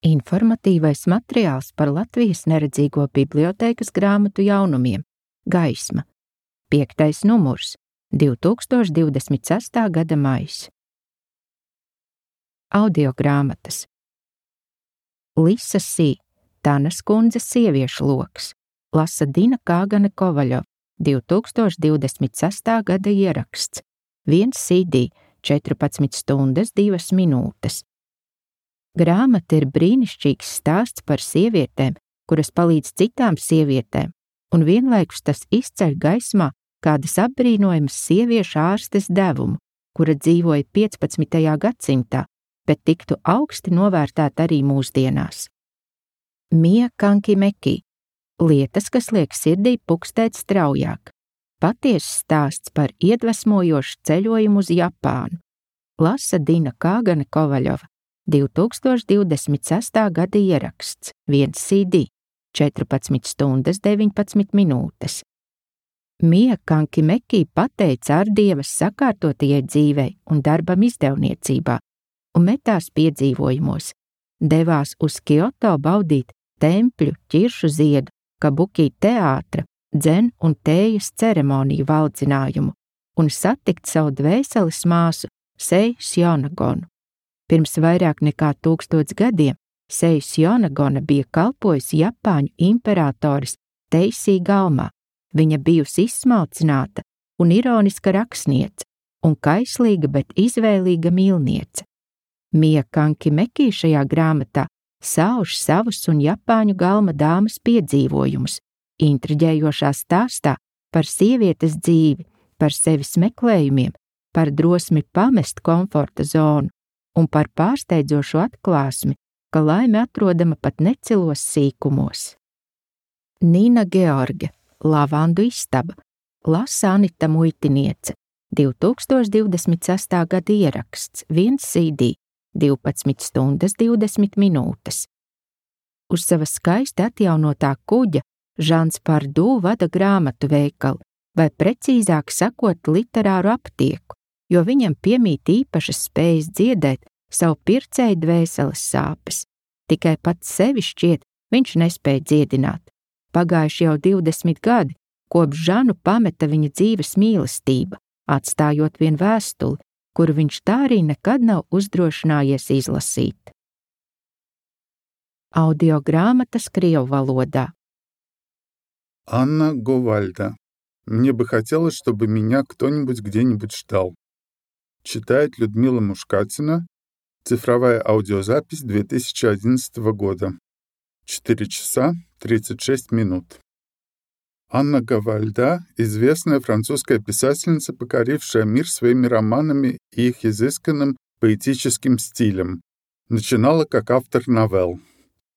Informatīvais materiāls par Latvijas neredzīgo bibliotēkas grāmatu jaunumiem Gaisma. 5. numurs, 2026. gada maijs. Audiogrāmatas. Lisa Sī, Tanas kundzes sieviešu loks, lasa Dina Kāgane Kovaļova, 2026. gada ieraksts, 1 CD, 14 stundas 2 minūtes. Grāmata ir brīnišķīgs stāsts par sievietēm, kuras palīdz citām sievietēm, un vienlaikus tas izceļ gaismā kādas apbrīnojamas sieviešu ārstes devumu, kura dzīvoja 15. gadsimtā, bet tiktu augsti novērtēta arī mūsdienās. Mija Kankimeki. Lietas, kas liek sirdī pukstēt straujāk. Patiess stāsts par iedvesmojošu ceļojumu uz Japānu. Lasa Dina Kāgane Kovaļova, 2026. gada ieraksts, 1 CD, 14 stundas 19 minūtes. Mija Kankimeki pateica ārdievas sakārtotajai dzīvei un darbam izdevniecībā un metās piedzīvojumos. Devās uz Kioto baudīt tempļu, ķiršu ziedu, kabuki teātra, dzen un tējas ceremoniju valdzinājumu un satikt savu dvēseles māsu Sei Sjonagonu. Pirms vairāk nekā 1000 gadiem Sei Sjonagona bija kalpojusi Japāņu imperatoris Teisī galmā. Viņa bijusi izsmalcināta un ironiska rakstniece un kaislīga, bet izvēlīga mīlniece. Mija Kankimeki šajā grāmatā sauž savus un Japāņu galma dāmas piedzīvojumus, intriģējošā stāstā par sievietes dzīvi, par sevis meklējumiem, par drosmi pamest komforta zonu un par pārsteidzošu atklāsmi, ka laime atrodama pat necilos sīkumos. Nīna George, Lavandu istaba, lasa Anita Muitiniece, 2026. gada ieraksts, 1 CD, 12 stundas 20 minūtes. Uz sava skaisti atjaunotā kuģa Žans Pardū vada grāmatu veikalu, vai precīzāk sakot literāru aptieku, jo viņam piemīt īpašas spējas dziedēt savu pircēju dvēseles sāpes. Tikai pats sevi šķiet viņš nespēja dziedināt. Pagājuši jau 20 gadi, kopš Žanu pameta viņa dzīves mīlestība, atstājot vien vēstuli, kuru viņš tā arī nekad nav uzdrošinājies izlasīt. Audiogrāmatas krievu valodā. Анна Говальда. Мне бы хотелось, чтобы меня кто-нибудь где-нибудь ждал. Читает Людмила Мушкатина. Цифровая аудиозапись 2011 года. 4 часа 36 минут. Анна Говальда – известная французская писательница, покорившая мир своими романами и их изысканным поэтическим стилем. Начинала как автор новелл.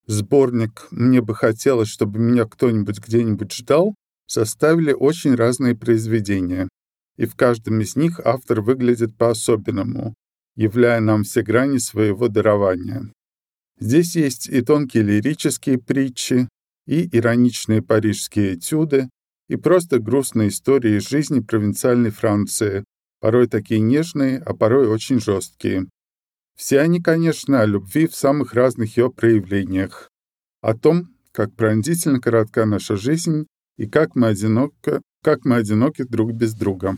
Сборник «Мне бы хотелось, чтобы меня кто-нибудь где-нибудь ждал» составили очень разные произведения, и в каждом из них автор выглядит по-особенному, являя нам все грани своего дарования. Здесь есть и тонкие лирические притчи, и ироничные парижские этюды, и просто грустные истории из жизни провинциальной Франции, порой такие нежные, а порой очень жесткие. Все они, конечно, о любви в самых разных ее проявлениях, о том, как пронзительно коротка наша жизнь и как мы одиноки друг без друга.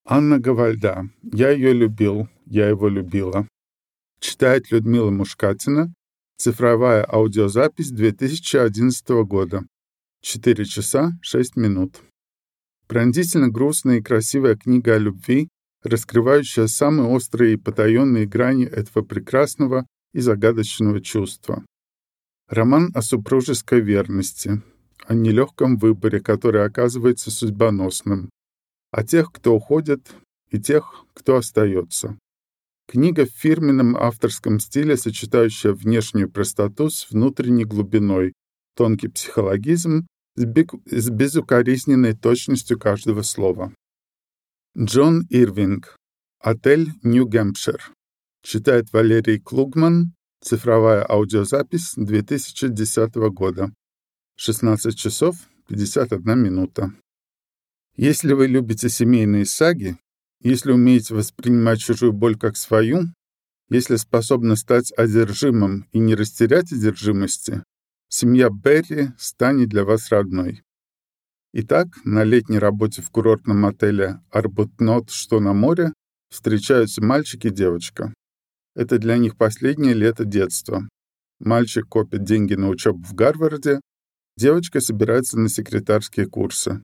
Анна Говальда. Я ее любил, я его любила. Читает Людмила Мушкатина. Цифровая аудиозапись 2011 года. 4 часа 6 минут. Пронзительно грустная и красивая книга о любви, раскрывающая самые острые и потаенные грани этого прекрасного и загадочного чувства. Роман о супружеской верности, о нелегком выборе, который оказывается судьбоносным, о тех, кто уходит, и тех, кто остается. Книга в фирменном авторском стиле, сочетающая внешнюю простоту с внутренней глубиной, тонкий психологизм с безукоризненной точностью каждого слова. Джон Ирвинг. Отель Нью-Гэмпшир. Читает Валерий Клугман. Цифровая аудиозапись 2010 года. 16 часов 51 минута. Если вы любите семейные саги, если умеете воспринимать чужую боль как свою, Если способна стать одержимым и не растерять одержимости, семья Берри станет для вас родной. Итак, на летней работе в курортном отеле «Арбутнот», что на море, встречаются мальчик и девочка. Это для них последнее лето детства. Мальчик копит деньги на учебу в Гарварде, девочка собирается на секретарские курсы.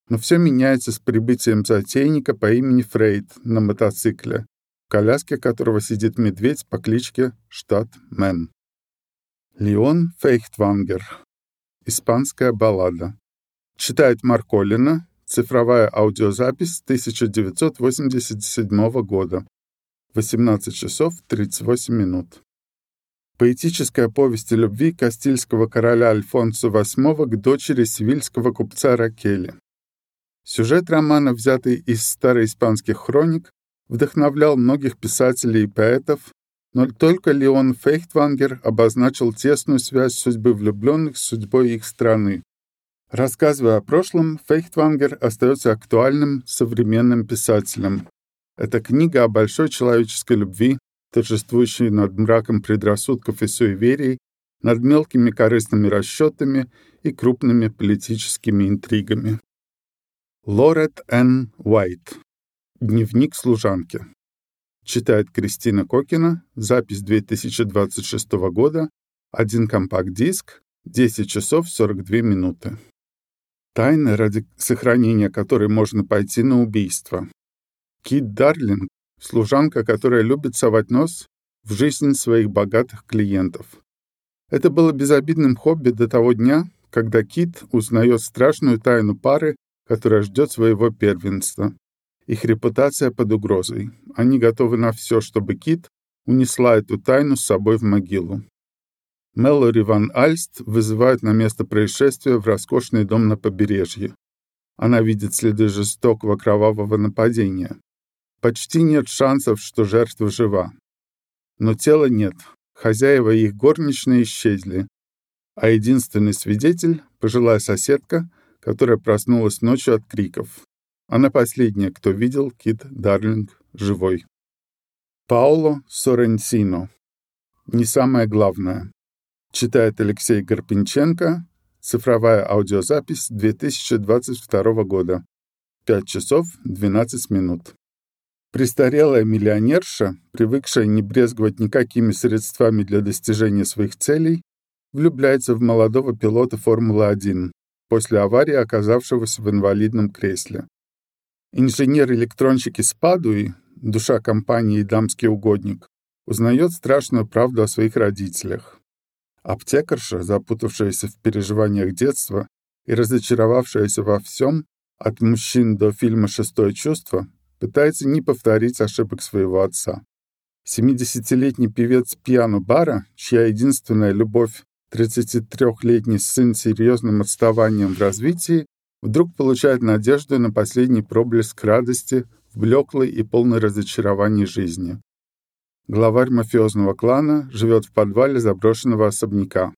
Но все меняется с прибытием затейника по имени Фрейд на мотоцикле, в коляске которого сидит медведь по кличке Штат-Мен. Леон Фейхтвангер. Испанская баллада. Читает Марколина. Цифровая аудиозапись 1987 года. 18 часов 38 минут. Поэтическая повесть о любви кастильского короля Альфонсо VIII к дочери севильского купца Ракели. Сюжет романа, взятый из староиспанских хроник, вдохновлял многих писателей и поэтов, но только Леон Фейхтвангер обозначил тесную связь судьбы влюбленных с судьбой их страны. Рассказывая о прошлом, Фейхтвангер остается актуальным современным писателем. Это книга о большой человеческой любви, торжествующей над мраком предрассудков и суеверий, над мелкими корыстными расчетами и крупными политическими интригами. Лорет Н. Уайт. Дневник служанки. Читает Кристина Кокина. Запись 2026 года. 1 компакт-диск. 10 часов 42 минуты. Тайна, ради сохранения которой можно пойти на убийство. Кит Дарлинг — служанка, которая любит совать нос в жизнь своих богатых клиентов. Это было безобидным хобби до того дня, когда Кит узнает страшную тайну пары, которая ждет своего первенства. Их репутация под угрозой. Они готовы на все, чтобы Кит унесла эту тайну с собой в могилу. Мэлори Ван Альст вызывает на место происшествия в роскошный дом на побережье. Она видит следы жестокого кровавого нападения. Почти нет шансов, что жертва жива. Но тела нет. Хозяева и их горничные исчезли. А единственный свидетель — пожилая соседка, которая проснулась ночью от криков. Она последняя, кто видел Кит Дарлинг живой. Паоло Соррентино. Не самое главное. Читает Алексей Гарпенченко. Цифровая аудиозапись 2022 года. 5 часов 12 минут. Престарелая миллионерша, привыкшая не брезговать никакими средствами для достижения своих целей, влюбляется в молодого пилота Формулы-1 после аварии, оказавшегося в инвалидном кресле. Инженер-электронщик из Падуи, душа компании и дамский угодник, узнает страшную правду о своих родителях. Аптекарша, запутавшаяся в переживаниях детства и разочаровавшаяся во всем, от мужчин до фильма «Шестое чувство», пытается не повторить ошибок своего отца. 70-летний певец пиано-бара, чья единственная любовь — 33-летний сын с серьезным отставанием в развитии, вдруг получает надежду на последний проблеск радости в блеклой и полной разочарований жизни. Главарь мафиозного клана живет в подвале заброшенного особняка.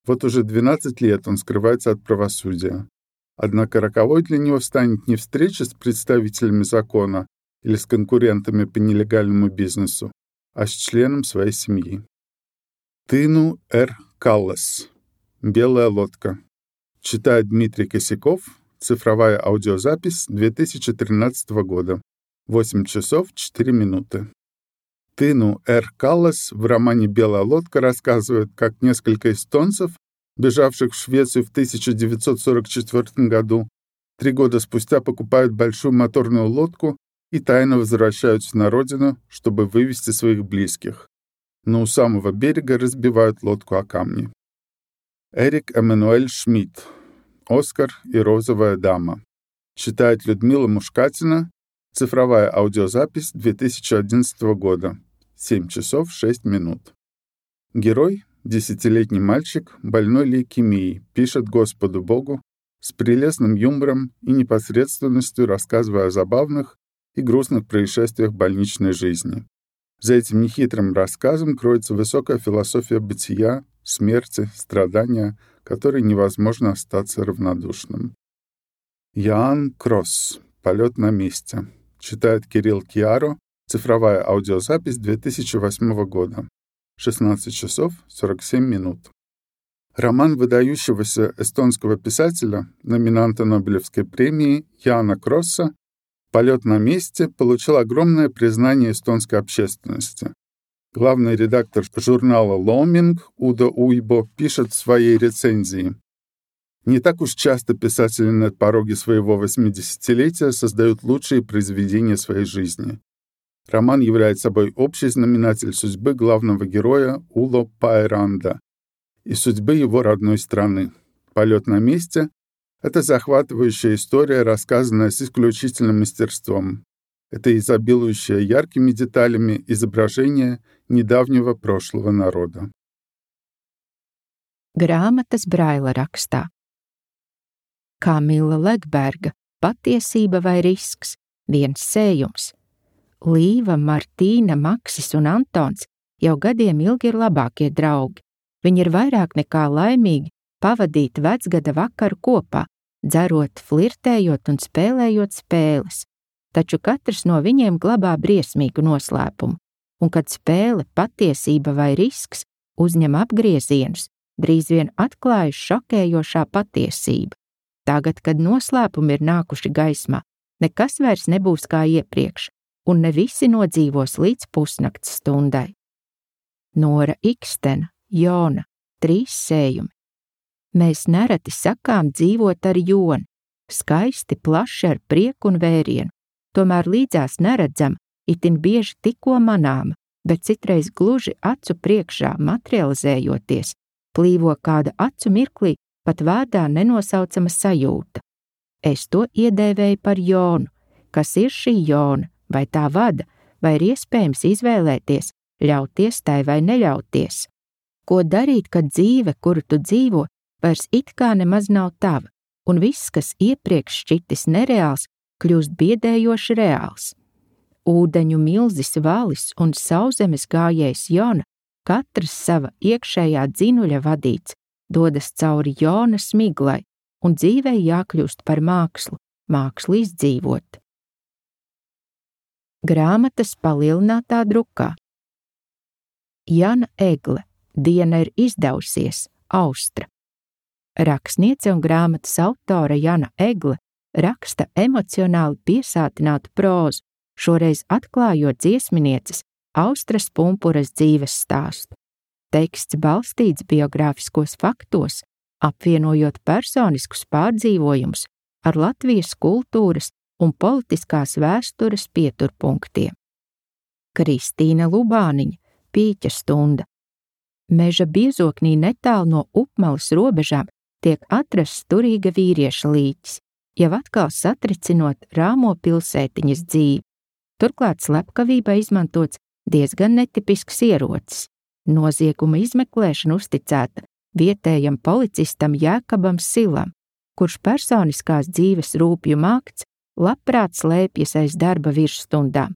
Вот уже 12 лет он скрывается от правосудия. Однако роковой для него станет не встреча с представителями закона или с конкурентами по нелегальному бизнесу, а с членом своей семьи. Тыну Р. Каллас. «Белая лодка». Читает Дмитрий Косяков. Цифровая аудиозапись 2013 года. 8 часов 4 минуты. Тыну Р. Каллас в романе «Белая лодка» рассказывает, как несколько эстонцев, бежавших в Швецию в 1944 году, 3 года спустя покупают большую моторную лодку и тайно возвращаются на родину, чтобы вывести своих близких. Но у самого берега разбивают лодку о камни. Эрик Эммануэль Шмидт. «Оскар и розовая дама». Читает Людмила Мушкатина. Цифровая аудиозапись 2011 года. 7 часов 6 минут. Герой, 10-летний мальчик, больной лейкемией, пишет Господу Богу с прелестным юмором и непосредственностью, рассказывая о забавных и грустных происшествиях больничной жизни. За этим нехитрым рассказом кроется высокая философия бытия, смерти, страдания, которой невозможно остаться равнодушным. Яан Кросс. «Полет на месте». Читает Кирилл Киаро. Цифровая аудиозапись 2008 года. 16 часов 47 минут. Роман выдающегося эстонского писателя, номинанта Нобелевской премии Яана Кросса «Полет на месте» получил огромное признание эстонской общественности. Главный редактор журнала «Ломинг» Удо Уйбо пишет в своей рецензии: «Не так уж часто писатели на пороге своего 80-летия создают лучшие произведения своей жизни. Роман является собой общий знаменатель судьбы главного героя Уло Пайранда и судьбы его родной страны. «Полет на месте» — это захватывающая история, рассказанная с исключительным мастерством. Это изобилующее яркими деталями изображение недавнего прошлого народа». Grāmatas Braila rakstā. Kamila Legberga Patiesība vai risks? Viens sējums. Līva, Martīna, Maksis un Antons jau gadiem ilgi ir labākie draugi. Viņi ir vairāk nekā laimīgi pavadīt vecgada vakaru kopā, dzerot, flirtējot un spēlējot spēles. Taču katrs no viņiem glabā briesmīgu noslēpumu, un kad spēle Patiesība vai risks uzņem apgriezienus, drīz vien atklājas šokējošā patiesība. Tagad, kad noslēpumi ir nākuši gaismā, nekas vairs nebūs kā iepriekš, un ne visi nodzīvos līdz pusnakts stundai. Nora Ikstena, Jona, 3 sējumi. Mēs nereti sakām dzīvot ar joni, skaisti, plaši ar prieku un vērienu, tomēr līdzās neredzam, itin bieži tikko manāma, bet citreiz gluži acu priekšā materializējoties, plīvo kāda acu mirklī pat vārdā nenosaucama sajūta. Es to iedēvēju par Jonu. Kas ir šī Jona? Vai tā vada? Vai ir iespējams izvēlēties, ļauties tai vai neļauties? Ko darīt, kad dzīve, kuru tu dzīvo, vairs it kā nemaz nav tava, un viss, kas iepriekš šķitis nereāls, kļūst biedējoši reāls? Ūdeņu milzis Valis un sauszemes gājējs Jona, katrs sava iekšējā dzinuļa vadīts, dodas cauri Jonas miglai, un dzīvei jākļūst par mākslu, mākslu izdzīvot. Grāmatas palielinātā drukā. Jana Egle, Diena ir izdevusies, Austra. Rakstniece un grāmatas autore Jana Egle raksta emocionāli piesātinātu prózu, šoreiz atklājot dziesminieces Austras Pumpuras dzīves stāstu. Teksts balstīts biogrāfiskos faktos, apvienojot personiskus pārdzīvojumus ar Latvijas kultūras un politiskās vēstures pieturpunktiem. Kristīna Lubāniņa, Pīķa stunda. Meža biezoknī netālu no Upmalas robežām tiek atrasts turīga vīrieša līķis, jau atkal satricinot rāmo pilsētiņas dzīvi. Turklāt slepkavībā izmantots diezgan netipisks ierocis. Nozieguma izmeklēšana uzticēta vietējam policistam Jēkabam Silam, kurš personiskās dzīves rūpju mākts labprāt slēpjas aiz darba virsstundām.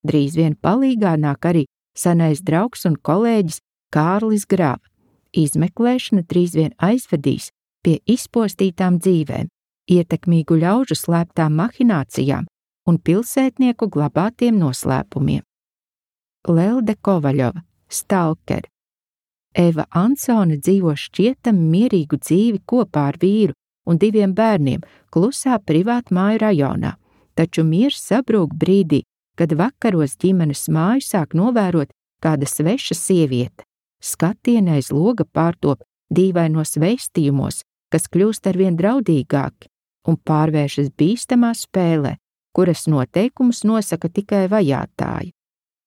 Drīz vien palīgā nāk arī senais draugs un kolēģis Kārlis Grava. Izmeklēšana drīz vien aizvedīs pie izpostītām dzīvēm, ietekmīgu ļaužu slēptām mahinācijām un pilsētnieku glabātiem noslēpumiem. Lelde Kovaļova, Stalker. Eva Ansone dzīvo šķietami mierīgu dzīvi kopā ar vīru un 2 bērniem klusā privātmāju rajonā, taču miers sabrūk brīdī, kad vakaros ģimenes māju sāk novērot kāda sveša sieviete. Skatieni aiz loga pārtop dīvainos vēstījumos, kas kļūst arvien draudīgāki un pārvēršas bīstamā spēlē, kuras noteikumus nosaka tikai vajātāji.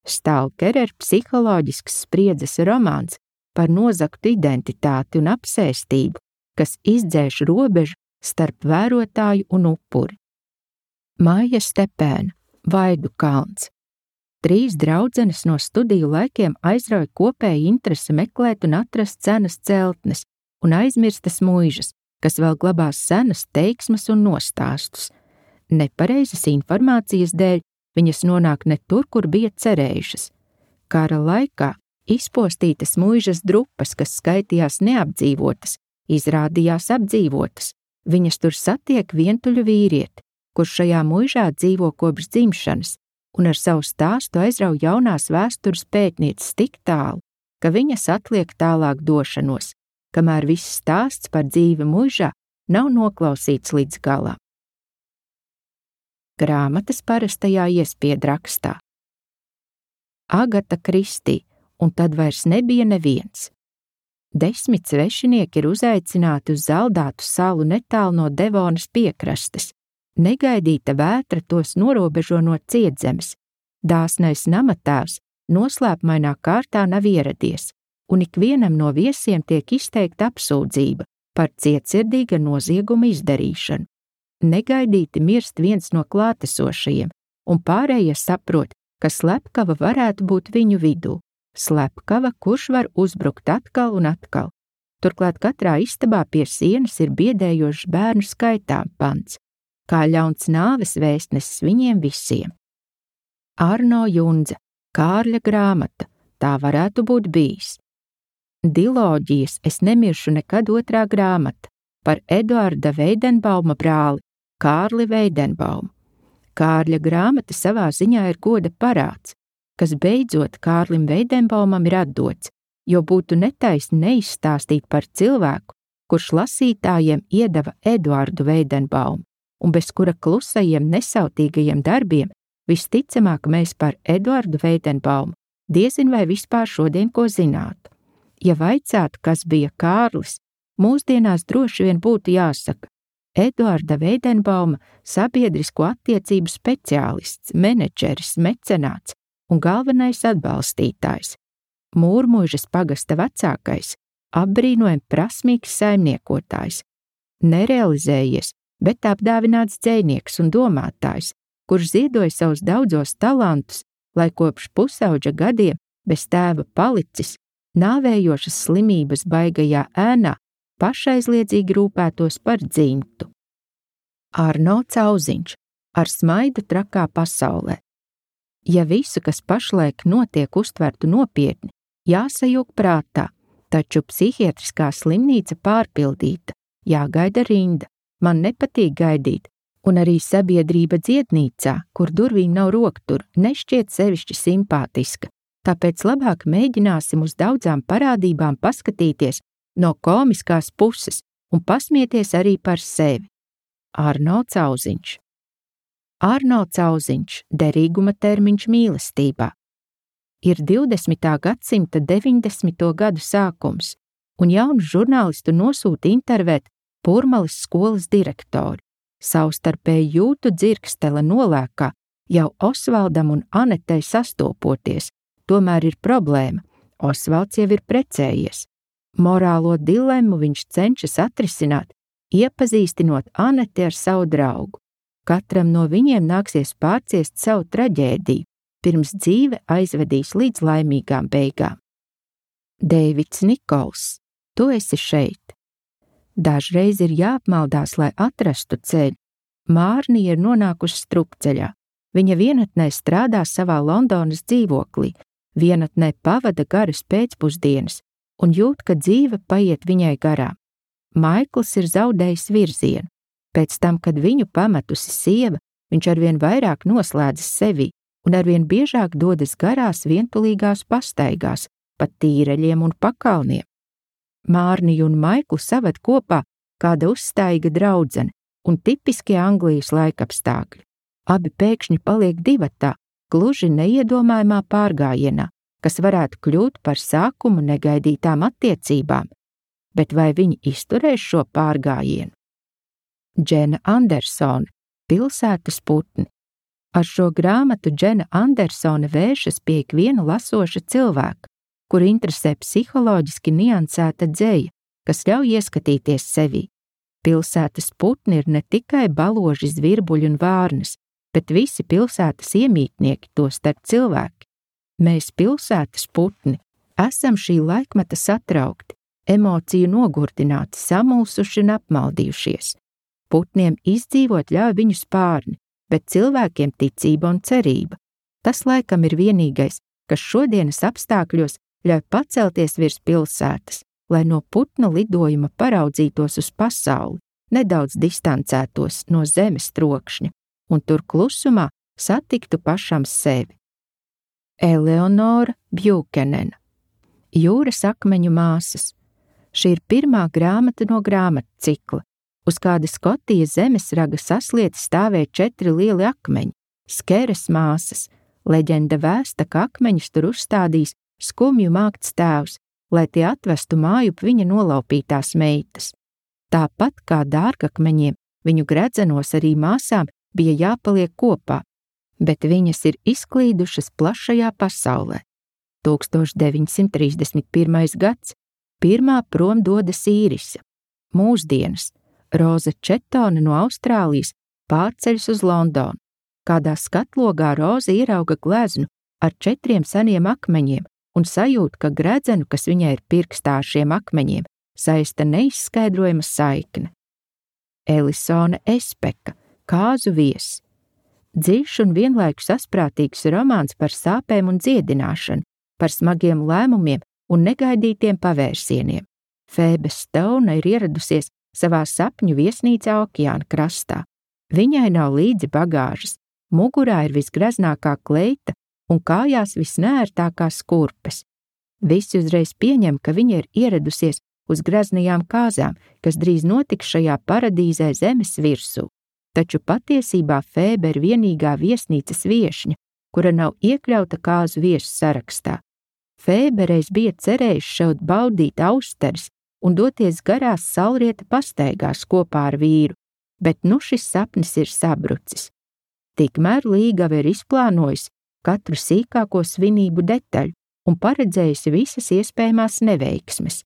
Stalker ir psiholoģisks spriedzes romāns par nozagtu identitāti un apsēstību, kas izdzēš robežu starp vērotāju un upuri. Maija Stepēna, Vaidu kalns. 3 draudzenes no studiju laikiem aizrauja kopēju interesi meklēt un atrast senas celtnes un aizmirstas muižas, kas vēl glabās senas teiksmes un nostāstus. Nepareizas informācijas dēļ viņas nonāk ne tur, kur bija cerējušas. Kara laikā izpostītas muižas drupas, kas skaitījās neapdzīvotas, izrādījās apdzīvotas. Viņas tur satiek vientuļu vīrieti, kurš šajā muižā dzīvo kopš dzimšanas, un ar savu stāstu aizrauj jaunās vēstures pētnieces tik tālu, ka viņas atliek tālāk došanos, kamēr viss stāsts par dzīvi mūžā nav noklausīts līdz galam. Grāmatas parastajā iespiedrakstā. Agata Kristī, un tad vairs nebija neviens. 10 svešinieki ir uzaicināti uz Zaldātu salu netālu no Devonas piekrastes. Negaidīta vētra tos norobežo no cietzemes. Dāsnais namatēvs noslēpmainā kārtā nav ieradies, un ikvienam no viesiem tiek izteikta apsūdzība par cietsirdīga nozieguma izdarīšanu. Negaidīti mirst viens no klātesošajiem, un pārējie saprot, ka slepkava varētu būt viņu vidū. Slepkava, kurš var uzbrukt atkal un atkal. Turklāt katrā istabā pie sienas ir biedējošs bērnu skaitām pants, kā ļauns nāves vēstnesis viņiem visiem. Arno Jundze, Kārļa grāmata, tā varētu būt bijis. Diloģijas Es nemiršu nekad otrā grāmata par Eduarda Veidenbauma brāli Kārli Veidenbaumu. Kārļa grāmata savā ziņā ir goda parāds, kas beidzot Kārlim Veidenbaumam ir atdots, jo būtu netaisni neizstāstīt par cilvēku, kurš lasītājiem iedeva Eduardu Veidenbaumu, un bez kura klusajiem nesautīgajiem darbiem visticamāk mēs par Eduardu Veidenbaumu diezin vai vispār šodien ko zinātu. Ja vaicātu, kas bija Kārlis, mūsdienās droši vien būtu jāsaka Eduarda Veidenbauma sabiedrisko attiecību speciālists, menedžeris, mecenāts un galvenais atbalstītājs, Mūrmuižas pagasta vecākais, apbrīnojami prasmīgs saimniekotājs, nerealizējies, bet apdāvināts dzejnieks un domātājs, kurš ziedoja savus daudzos talantus, lai kopš pusauģa gadiem bez tēva palicis, nāvējošas slimības baigajā ēnā pašaizliedzīgi rūpētos par dzimtu. Arno Cauziņš, Ar smaidu trakā pasaulē. Ja visu, kas pašlaik notiek, uztvertu nopietni, jāsajūg prātā, taču psihiatriskā slimnīca pārpildīta, jāgaida rinda, man nepatīk gaidīt, un arī sabiedrība dziednīcā, kur durvīm nav roktur, nešķiet sevišķi simpātiska, tāpēc labāk mēģināsim uz daudzām parādībām paskatīties no komiskās puses un pasmieties arī par sevi. Arno Cauziņš. Arno Cauziņš, derīguma termiņš mīlestībā. Ir 20. gadsimta 90. gadu sākums, un jaunu žurnālistu nosūta intervēt Purmalas skolas direktori. Savstarpēji jūtu dzirkstele nolēkā, jau Osvaldam un Anetei sastopoties, tomēr ir problēma, Osvalds jau ir precējies. Morālo dilemmu viņš cenšas atrisināt, iepazīstinot Aneti ar savu draugu. Katram no viņiem nāksies pārciest savu traģēdiju, pirms dzīve aizvedīs līdz laimīgām beigām. Deivids Nikols, tu esi šeit. Dažreiz ir jāapmaldās, lai atrastu ceļu. Mārnija ir nonākusi strupceļā. Viņa vienatnē strādā savā Londonas dzīvoklī, vienatnē pavada garas pēcpusdienas un jūt, ka dzīve paiet viņai garām. Maikls ir zaudējis virzienu. Pēc tam, kad viņu pametusi sieva, viņš arvien vairāk noslēdzas sevī un arvien biežāk dodas garās vientulīgās pastaigās, pa tīreļiem un pakalniem. Mārniju un Maiklu saved kopā kāda uzstājīga draudzene un tipiskie Anglijas laikapstākļi. Abi pēkšņi paliek divatā, gluži neiedomājumā pārgājienā, kas varētu kļūt par sākumu negaidītām attiecībām, bet vai viņi izturēs šo pārgājienu? Džena Andersone, Pilsētas putni. Ar šo grāmatu Džena Andersone vēršas pie ikviena lasoša cilvēka, kur interesē psiholoģiski niansēta dzeja, kas ļauj ieskatīties sevī. Pilsētas putni ir ne tikai baloži, zvirbuļi un vārnas, bet visi pilsētas iemītnieki, tostarp cilvēki. Mēs pilsētas putni esam šī laikmeta satraukti, emociju nogurdināti, samulsuši un apmaldījušies. Putniem izdzīvot ļauj viņu spārni, bet cilvēkiem ticība un cerība. Tas laikam ir vienīgais, kas šodienas apstākļos ļauj pacelties virs pilsētas, lai no putnu lidojuma paraudzītos uz pasauli, nedaudz distancētos no zemes trokšņa, un tur klusumā satiktu pašam sevi. Eleonora Bjūkenena, Jūras akmeņu māsas. Šī ir pirmā grāmata no grāmatu cikla, uz kāda Skotija zemesraga saslieti stāvēja 4 lieli akmeņi, Skeras māsas. Leģenda vēsta, ka akmeņus tur uzstādījis skumju mākts tēvs, lai tie atvestu mājup viņa nolaupītās meitas. Tāpat kā dārgakmeņiem, viņu gredzenos arī māsām bija jāpaliek kopā, bet viņas ir izklīdušas plašajā pasaulē. 1931. gads, pirmā prom dodas Īrisa. Mūsdienas, Roza Četona no Austrālijas pārceļas uz Londonu. Kādā skatlogā Roza ierauga gleznu ar 4 seniem akmeņiem un sajūt, ka gredzenu, kas viņai ir pirkstā ar šiem akmeņiem, saista neizskaidrojama saikne. Elisone Espeka, Kāzu viesis. Dziļš un vienlaikus asprātīgs romāns par sāpēm un dziedināšanu, par smagiem lēmumiem un negaidītiem pavērsieniem. Fēbe Stone ir ieradusies savā sapņu viesnīcā okeāna krastā. Viņai nav līdzi bagāžas, mugurā ir visgreznākā kleita un kājās visnērtākās kurpes. Visi uzreiz pieņem, ka viņa ir ieradusies uz greznajām kāzām, kas drīz notiks šajā paradīzē zemes virsū. Taču patiesībā Fēbe ir vienīgā viesnīcas viešņa, kura nav iekļauta kāzu viesu sarakstā. Fēbe reiz bija cerējusi šaut baudīt austeres un doties garās saulrieta pastaigās kopā ar vīru, bet nu šis sapnis ir sabrucis. Tikmēr Līgava ir izplānojusi katru sīkāko svinību detaļu un paredzējusi visas iespējamās neveiksmes.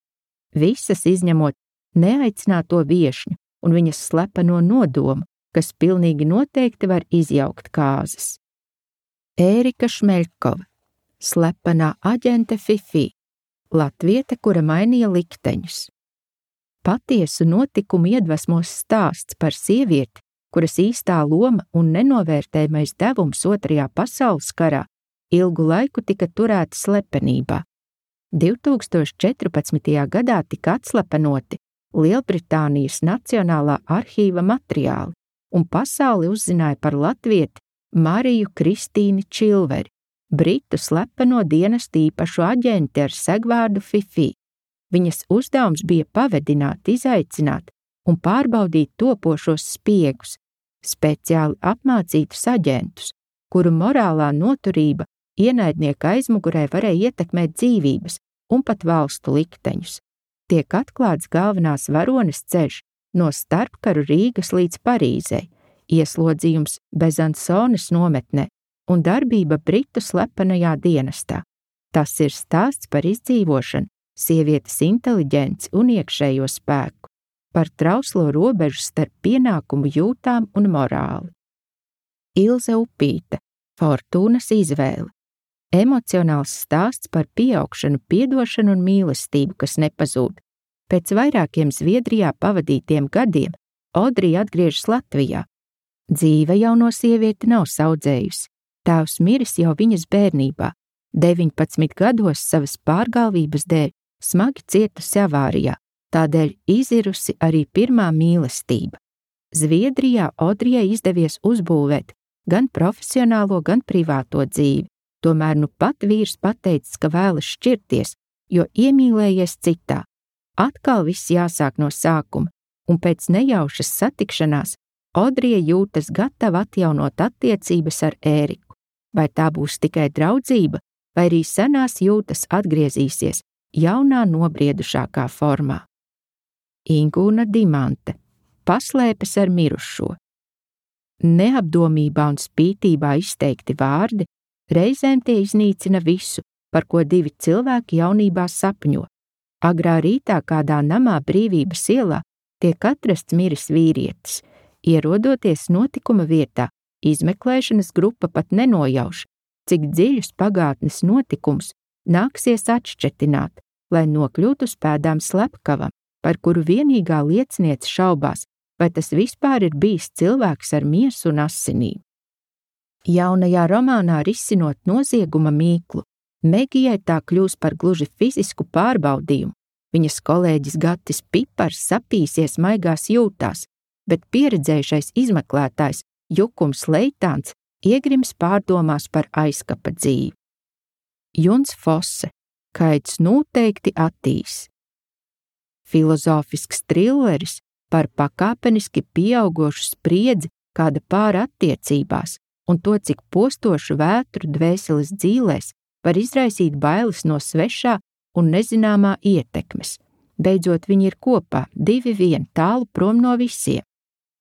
Visas izņemot neaicināto viešņu un viņas slepeno nodomu, kas pilnīgi noteikti var izjaukt kāzas. Ērika Šmeļkova, slepenā aģente Fifi, latviete, kura mainīja likteņus. Patiesu notikumu iedvesmos stāsts par sievieti, kuras īstā loma un nenovērtējamais devums 2. pasaules karā ilgu laiku tika turēta slepenībā. 2014. gadā tika atslepenoti Lielbritānijas Nacionālā arhīva materiāli, un pasauli uzzināja par latvieti Mariju Kristīni Čilveri, britu slepeno dienestu īpašu aģenti ar segvārdu Fifi. Viņas uzdevums bija pavedināt, izaicināt un pārbaudīt topošos spiegus, speciāli apmācītus aģentus, kuru morālā noturība ienaidnieka aizmugurē varēja ietekmēt dzīvības un pat valstu likteņus. Tiek atklāts galvenās varones ceļš no starpkaru Rīgas līdz Parīzei, ieslodzījums Bezansones nometnē un darbība britu slepenajā dienestā. Tas ir stāsts par izdzīvošanu, sievietes inteliģenci un iekšējo spēku, par trauslo robežu starp pienākumu jūtām un morāli. Ilze Upīte, Fortūnas izvēle. Emocionāls stāsts par pieaugšanu, piedošanu un mīlestību, kas nepazūd. Pēc vairākiem Zviedrijā pavadītiem gadiem Odrija atgriežas Latvijā. Dzīve jauno sievieti nav saudzējusi. Tēvs miris jau viņas bērnībā, 19 gados savas pārgalvības dēļ smagi cietusi avārijā, tādēļ izirusi arī pirmā mīlestība. Zviedrijā Odrijai izdevies uzbūvēt gan profesionālo, gan privāto dzīvi, tomēr nu pat vīrs pateicis, ka vēlas šķirties, jo iemīlējies citā. Atkal viss jāsāk no sākuma, un pēc nejaušas satikšanās Odrija jūtas gatava atjaunot attiecības ar Ēriku. Vai tā būs tikai draudzība, vai arī senās jūtas atgriezīsies jaunā nobriedušākā formā. Ingūna Dimante, paslēpes ar mirušo. Neapdomībā un spītībā izteikti vārdi, reizēm tie iznīcina visu, par ko 2 cilvēki jaunībā sapņo. Agrā rītā kādā namā Brīvības ielā tiek atrasts miris vīrietis. Ierodoties notikuma vietā, izmeklēšanas grupa pat nenojauš, cik dziļus pagātnes notikumus nāksies atšķetināt, lai nokļūtu uz pēdām slepkavam, par kuru vienīgā lieciniece šaubās, vai tas vispār ir bijis cilvēks ar miesu un asinīm. Jaunajā romānā risinot nozieguma mīklu, Megijai tā kļūs par gluži fizisku pārbaudījumu. Viņas kolēģis Gatis Pipars sapīsies maigās jūtās, bet pieredzējušais izmeklētājs Jukums Leitāns iegrims pārdomās par aizkapa dzīvi. Juns Fosse, Kaids noteikti attīs. Filozofisks trilleris par pakāpeniski pieaugošu spriedzi kāda pāra attiecībās un to, cik postošu vētru dvēseles dzīlēs var izraisīt bailes no svešā un nezināmā ietekmes. Beidzot viņi ir kopā, 2-1 tālu prom no visiem.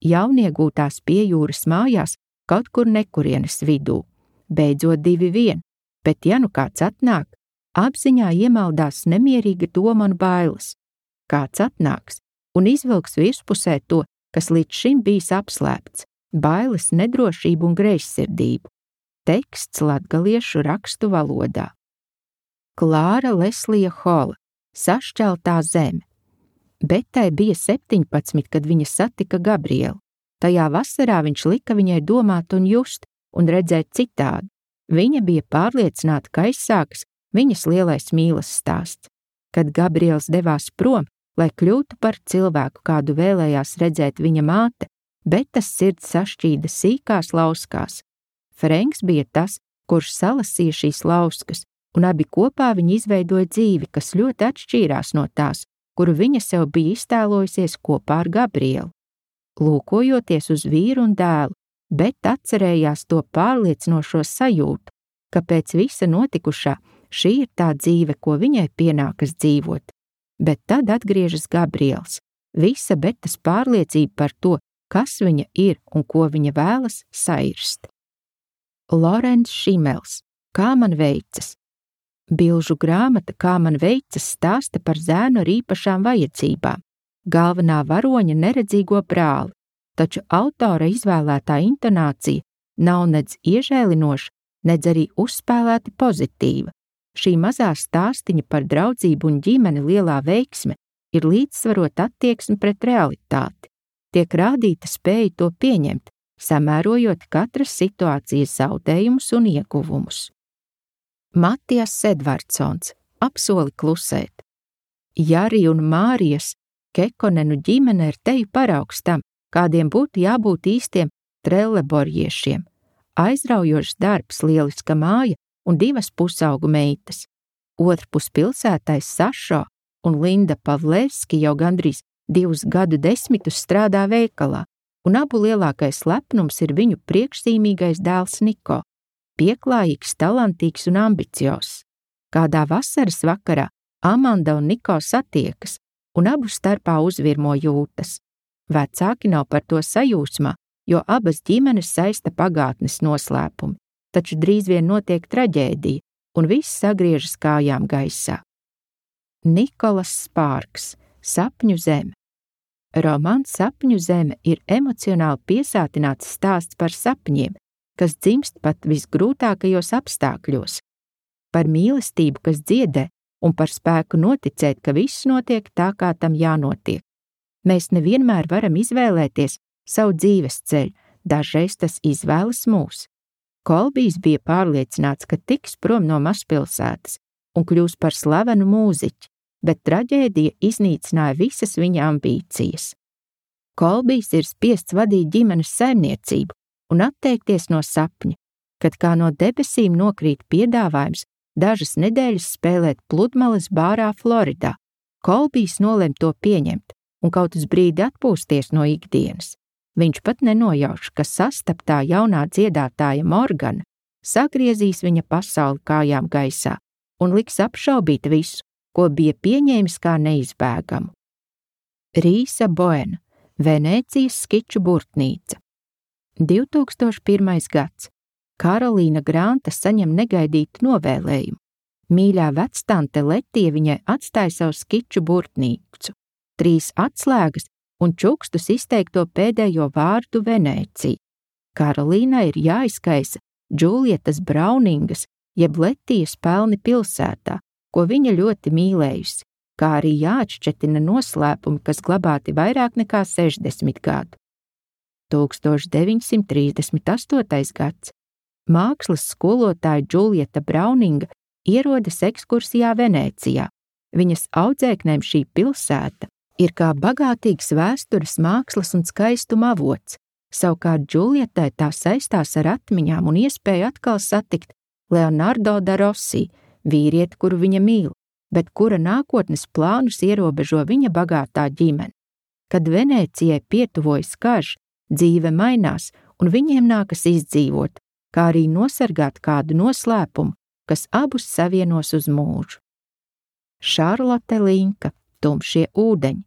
Jauniegūtās pie jūras mājās kaut kur nekurienes vidū. Beidzot 2-1, bet ja nu kāds atnāk, apziņā iemaldās nemierīga doma un bailes. Kāds atnāks un izvilks virspusē to, kas līdz šim bijis apslēpts, bailes, nedrošību un greizsirdību. Teksts latgaliešu rakstu valodā. Klāra Leslija Hola, Sašķeltā zeme. Betai bija 17, kad viņa satika Gabrielu. Tajā vasarā viņš lika viņai domāt un just un redzēt citādi. Viņa bija pārliecināta, ka aizsākas viņas lielais mīles stāsts. Kad Gabriels devās prom, lai kļūtu par cilvēku, kādu vēlējās redzēt viņa māte, Betas sirds sašķīda sīkās lauskās. Frenks bija tas, kurš salasīja šīs lauskas, un abi kopā viņi izveidoja dzīvi, kas ļoti atšķīrās no tās, kuru viņa sev bija iztēlojusies kopā ar Gabrielu. Lūkojoties uz vīru un dēlu, Bet atcerējās to pārliecinošo sajūtu, ka pēc visa notikušā šī ir tā dzīve, ko viņai pienākas dzīvot. Bet tad atgriežas Gabriels, visa Betas pārliecība par to, kas viņa ir un ko viņa vēlas, sairst. Lorents Šimels, Kā man veicas? Bilžu grāmata Kā man veicas stāsta par zēnu ar īpašām vajadzībām, galvenā varoņa neredzīgo brāli, taču autora izvēlētā intonācija nav nedz iežēlinoša, nedz arī uzspēlēti pozitīva. Šī mazā stāstiņa par draudzību un ģimeni lielā veiksme ir līdzsvarot attieksmi pret realitāti. Tiek rādīta spēja to pieņemt, samērojot katras situācijas zaudējumus un ieguvumus. Matijas Edvardsons, Apsoli klusēt. Jari un Mārijas Kekonenu ģimene ir teju paraugs tam, kādiem būtu jābūt īstiem trelleborjiešiem. Aizraujošs darbs, lieliska māja un 2 pusaugu meitas. Otrpus pilsētais Sašo un Linda Pavlevski jau gandrīz 2 gadu desmitus strādā veikalā, un abu lielākais lepnums ir viņu priekšzīmīgais dēls Niko, pieklājīgs, talantīgs un ambiciozs. Kādā vasaras vakarā Amanda un Niko satiekas, un abu starpā uzvirmo jūtas. Vecāki nav par to sajūsmā, jo abas ģimenes saista pagātnes noslēpumi, taču drīz vien notiek traģēdija, un viss sagriežas kājām gaisā. Nikolas Spārks, Sapņu zeme. Romāns Sapņu zeme ir emocionāli piesātināts stāsts par sapņiem, kas dzimst pat visgrūtākajos apstākļos, par mīlestību, kas dziedē, un par spēku noticēt, ka viss notiek tā, kā tam jānotiek. Mēs nevienmēr varam izvēlēties savu dzīves ceļu, dažreiz tas izvēlas mūs. Kolbijs bija pārliecināts, ka tiks prom no mazpilsētas un kļūs par slavenu mūziķi, bet traģēdija iznīcināja visas viņa ambīcijas. Kolbijs ir spiests vadīt ģimenes saimniecību un atteikties no sapņa, kad kā no debesīm nokrīt piedāvājums dažas nedēļas spēlēt pludmales bārā Floridā. Kolbijs nolem to pieņemt un kaut uz brīdi atpūsties no ikdienas. Viņš pat nenojauš, ka sastaptā jaunā dziedātāja Morgana sagriezīs viņa pasauli kājām gaisā un liks apšaubīt visu, ko bija pieņēmis kā neizbēgamu. Rīsa Boena, Venēcijas skiču burtnīca. 2001. gads. Karolīna Granta saņem negaidītu novēlējumu. Mīļā vectante Letija viņai atstāja savu skiču burtnīcu, 3 atslēgas un čukstus izteikto pēdējo vārdu Venēcija. Karolīnai ir jāizkaisa Džulietas Brauningas jeb Letijas pelni pilsētā, ko viņa ļoti mīlējusi, kā arī jāatšķetina noslēpumi, kas glabāti vairāk nekā 60 gadu. 1938. gads. Mākslas skolotāja Džulieta Brauninga ierodas ekskursijā Venēcijā. Viņas audzēknēm šī pilsēta ir kā bagātīgs vēstures, mākslas un skaistuma avots, Savukārt Džuljetai tā saistās ar atmiņām un iespēju atkal satikt Leonardo da Rossi, vīrieti, kuru viņa mīl, bet kura nākotnes plānus ierobežo viņa bagātā ģimene. Kad Venēcijai pietuvojas karš, dzīve mainās un viņiem nākas izdzīvot, kā arī nosargāt kādu noslēpumu, kas abus savienos uz mūžu. Šarlote Linka, Tumšie ūdeņi.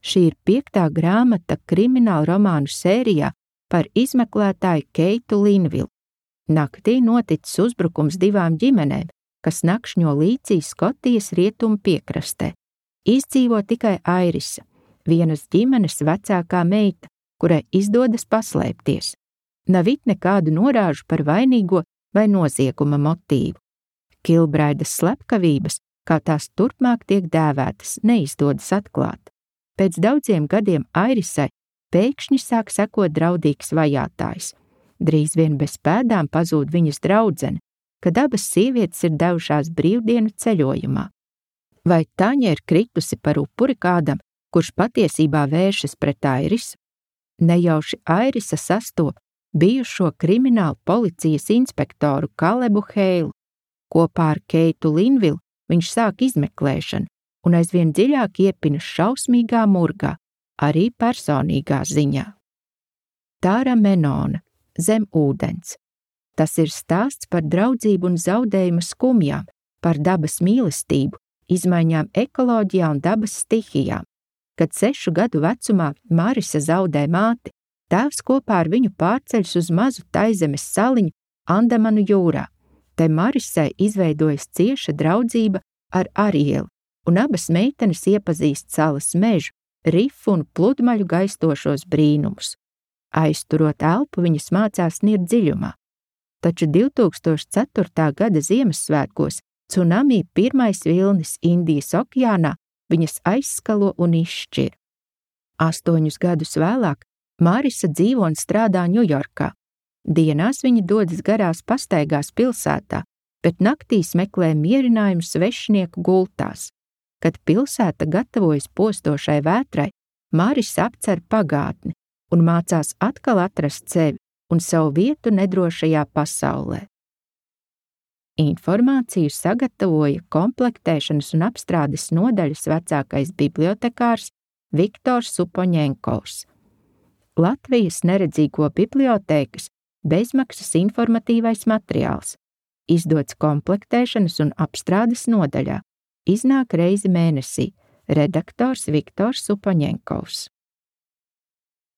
Šī ir 5. grāmata krimināla romānu sērijā par izmeklētāju Keitu Linvilu. Naktī noticis uzbrukums 2 ģimenēm, kas nakšņo līcī Skotijas rietumu piekrastē. Izdzīvo tikai Airisa, vienas ģimenes vecākā meita, kurai izdodas paslēpties. Nav it nekādu norāžu par vainīgo vai nozieguma motīvu. Kilbraidas slepkavības, kā tās turpmāk tiek dēvētas, neizdodas atklāt. Pēc daudziem gadiem Airisai pēkšņi sāk sekot draudīgs vajātājs. Drīz vien bez pēdām pazūd viņas draudzene, kad abas sievietes ir devušās brīvdienu ceļojumā. Vai Taņa ir kritusi par upuri kādam, kurš patiesībā vēršas pret Airisu? Nejauši Airisa sastop bijušo kriminālu policijas inspektoru Kalebu Heilu. Kopā ar Keitu Linvilu viņš sāk izmeklēšanu un aizvien dziļāk iepinas šausmīgā murgā, arī personīgā ziņā. Tāra Menona, Zem ūdens. Tas ir stāsts par draudzību un zaudējumu skumjām, par dabas mīlestību, izmaiņām ekoloģijā un dabas stihijām. Kad 6 gadu vecumā Marisa zaudē māti, tēvs kopā ar viņu pārceļas uz mazu Taizemes saliņu Andamanu jūrā. Te Marisai izveidojas cieša draudzība ar Arieli, un abas meitenes iepazīst salas mežu, rifu un pludmaļu gaistošos brīnumus. Aizturot elpu, viņas mācās nirt dziļumā. Taču 2004. gada Ziemassvētkos cunami pirmais vilnis Indijas okeānā viņas aizskalo un izšķir. 8 gadus vēlāk Marisa dzīvo un strādā Ņujorkā. Dienās viņa dodas garās pastaigās pilsētā, bet naktīs meklē mierinājumu svešnieku gultās. Kad pilsēta gatavojas postošai vētrai, Marisa apcer pagātni un mācās atkal atrast sevi un savu vietu nedrošajā pasaulē. Informāciju sagatavoja komplektēšanas un apstrādes nodaļas vecākais bibliotekārs Viktors Supoņenkovs. Latvijas neredzīgo bibliotēkas bezmaksas informatīvais materiāls, izdots komplektēšanas un apstrādes nodaļā, iznāk reizi mēnesī, redaktors Viktors Supoņenkovs.